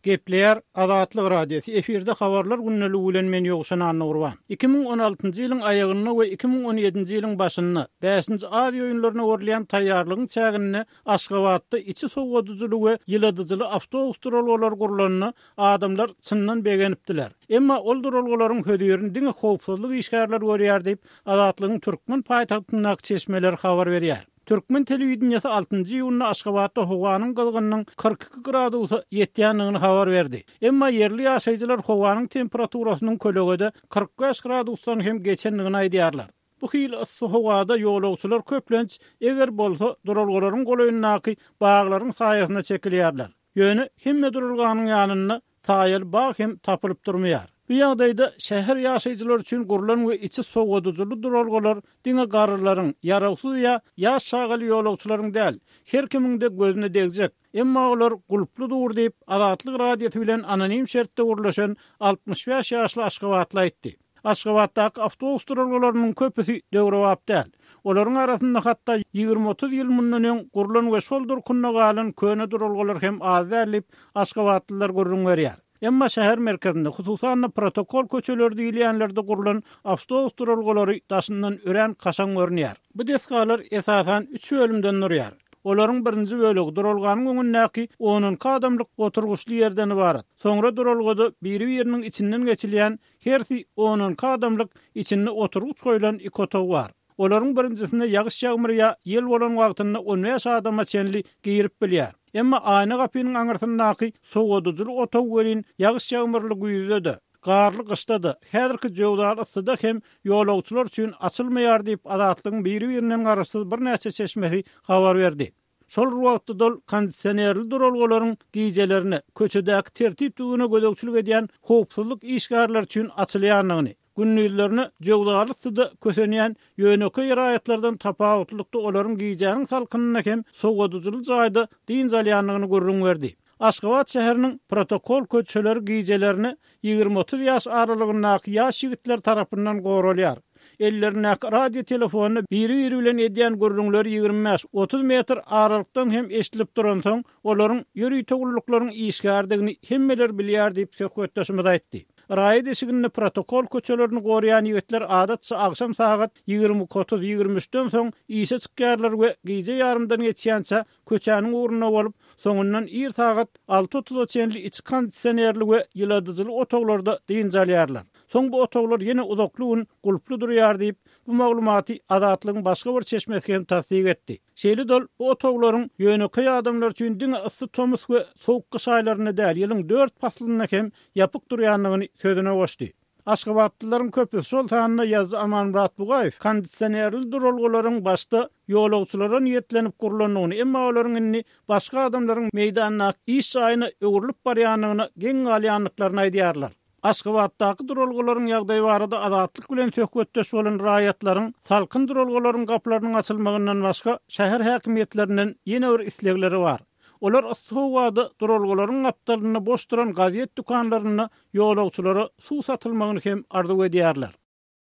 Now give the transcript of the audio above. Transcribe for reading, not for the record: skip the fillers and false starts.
Gepleýär Azatlyk Radiosy, efirde Habarlar gündeligi bilen men Ýowşan Annagurban. 2016-njy ýylyň aýagynda we 2017-nji ýylyň başynda Bäşinji Aziýa oýunlaryna görülýän taýýarlygyň çäginde Aşgabatda içi sowadyjyly we ýyladyjyly awtobus duralgalary gurlanda adamlar çyndan begenipdiler. Emma ol duralgalaryň hözirini diňe howpsuzlyk işgärleri görýär diýip, Azatlygyň türkmen paýtagtyndaky çeşmeleri habar berýär. Türkmen telewideniýesi altynjy iýunda Aşgabatda howanyň gyzgynynyň 42 gradusa ýetýändigini habar berdi. Emma ýerli ýaşaýjylar howanyň temperaturasynyň kölegede 45 gradusdan hem geçendigini aýdýarlar. Bu hili yssy howada ýolagçylar köplenç, eger bolsa, duralgalaryň golaýyndaky baglaryň saýasyna çekilýärler. Ýöne hemme duralganyň ýanynda saýaly bag hem tapylyp durmaýar. Bu ýagdaýda şäher ýaşaýjylary üçin gurlan we içi sowadyjyly duralgalar diňe garrylaryň, ýarawsyz ýa ýaş çagaly ýolagçylaryň däl, her kimiň-de gözüne degjek. Emma olar gulply dur diýip, Azatlyk Radiosy bilen anonim şertde gürleşen 65 ýaşly aşgabatly aýtdy. Aşgabatdaky awtobus duralgalarynyň köpüsi döwrebap däl. Olaryň arasynda hatda ýigrimi-otuz ýyl mundan öň gurlan we şol durkunda galan köne duralgalar hem az däl diýip, aşgabatlylar gürrüň berýär. Emma şäher merkezinde, hususan-da protokol köçeleri diýilýänlerde gurlan awtobus duralgalary daşyndan örän kaşaň görünýär. Bu desgalar esasan üç bölümden durýar. Olaryň birinji bölegi duralganyň öňündäki on-onki adamlyk oturgyçly ýerden ybarat. Soňra duralgada biri-biriniň içinden geçilýän Hersi on-onki adamlyk, içinde oturgyç goýlan iki otag bar. Olaryň birinjisinde ýagyş-ýagmyr ýa ýel bolan wagtynda on bäş adama çenli girip bilýär. Emma aýna gapynyň aňyrsyndaky sowadyjyly otag welin ýagyş-ýagmyrly güýzde-de, garly gyşda-da, häzirki jöwzaly yssyda hem ýolagçylar üçin açylmaýar diýip, Azatlygyň biri-birinden garaşsyz birnäçe çeşmesi habar berdi. Şol bir wagtda-da ol kondisionerli duralgalaryň gijelerine köçedäki tertip-düzgüne gözegçilik edýän howpsuzlyk işgärleri üçin açylýandygyny, gündizlerine jöwzaly yssyda kösenýän ýönekeý raýatlardan tapawutlylykda olaryň gijäniň salkynynda hem sowadyjyly jaýda dynç alýandygyny gürrüň berdi. Aşgabat şäheriniň protokol köçeleri gijelerine ýigrimi-otuz ýaş aralygyndaky ýaş ýigitler tarapyndan goralýar. Ellerindäki radio telefonda biri-biri bilen edýän gürrüňleri 25, 30 metr aralykdan hem eşidilip duransoň, olaryň ýörite gulluklaryň işgäridigini hemmeler bilýär diýip, söhbetdeşimiz aýtdy. Raýat eşiginde protokol köçelerini goraýan ýigitler adatça agşam sagat 22 otuz, 23-den soň işe çykýarlar we gije ýarymdan geçýänçä köçäniň ugrunda bolup, soňundan ir sagat alty otuza çenli içi kondisionerli we ýyladyjyly otaglarda dynç alýarlar. Soň bu otaglar ýene uzakly gün gulply durýar diýip, bu maglumaty Azatlygyň başga bir çeşmesi hem tassyk etdi. Şeýle-de ol bu otaglaryň ýönekeý adamlar üçin diňe yssy tomus we sowuk gyş aýlarynda däl, ýylyň dört paslynda hem ýapyk durýandygyny sözüne goşdy. Aşgabatlylaryň köpüsi, şol sanda ýazyjy Amanmyrat Bugaýew kondisionerli duralgalaryň başda ýolagçylara niýetlenip gurlandygyny, emma olaryň indi başga adamlaryň meýdandaky iş jaýyna öwrülip barýandygyna geň galýandyklaryny aýdýarlar. Aşgabatdaky duralgalaryň ýagdaýy barada Azatlyk bilen söhbetdeş bolan raýatlaryň salkyn duralgalaryň gapylarynyň açylmagyndan başga şäher häkimiýetlerinden ýene bir islegleri bar. Olar yssy howada duralgalaryň gapdalynda boş duran gazet dükanlarynda ýolagçylara suw satylmagyny hem arzuw edýärler.